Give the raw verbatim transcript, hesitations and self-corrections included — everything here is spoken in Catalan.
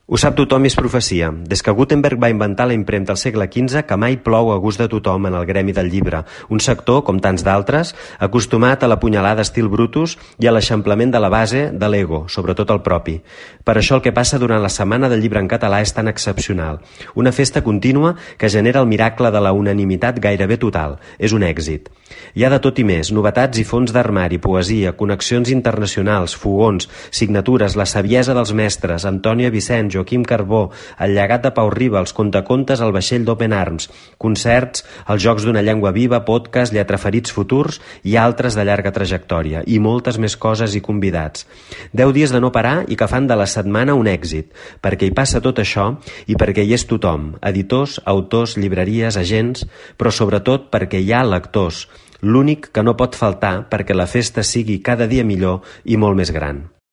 Ho sap tothom i és profecia. Des que Gutenberg va inventar la impremta al segle quinze, que mai plou a gust de tothom en el gremi del llibre. Un sector, com tants d'altres, acostumat a la punyalada estil Brutus i a l'eixamplament de la base de l'ego, sobretot el propi. Per això el que passa durant la Setmana del Llibre en Català és tan excepcional. Una festa contínua que genera el miracle de la unanimitat gairebé total. És un èxit. Hi ha de tot i més, novetats i fons d'armari, poesia, connexions internacionals, fogons, signatures, la saviesa dels mestres, Antònia Vicens, Joaquim Carbó, el llegat de Pau Riba, els contacontes al vaixell d'Open Arms, concerts, els Jocs d'una llengua viva, podcast, lletraferits futurs i altres de llarga trajectòria, i moltes més coses i convidats. Deu dies de no parar i que fan de la setmana un èxit, perquè hi passa tot això i perquè hi és tothom, editors, autors, llibreries, agents, però sobretot perquè hi ha lectors, l'únic que no pot faltar perquè la festa sigui cada dia millor i molt més gran.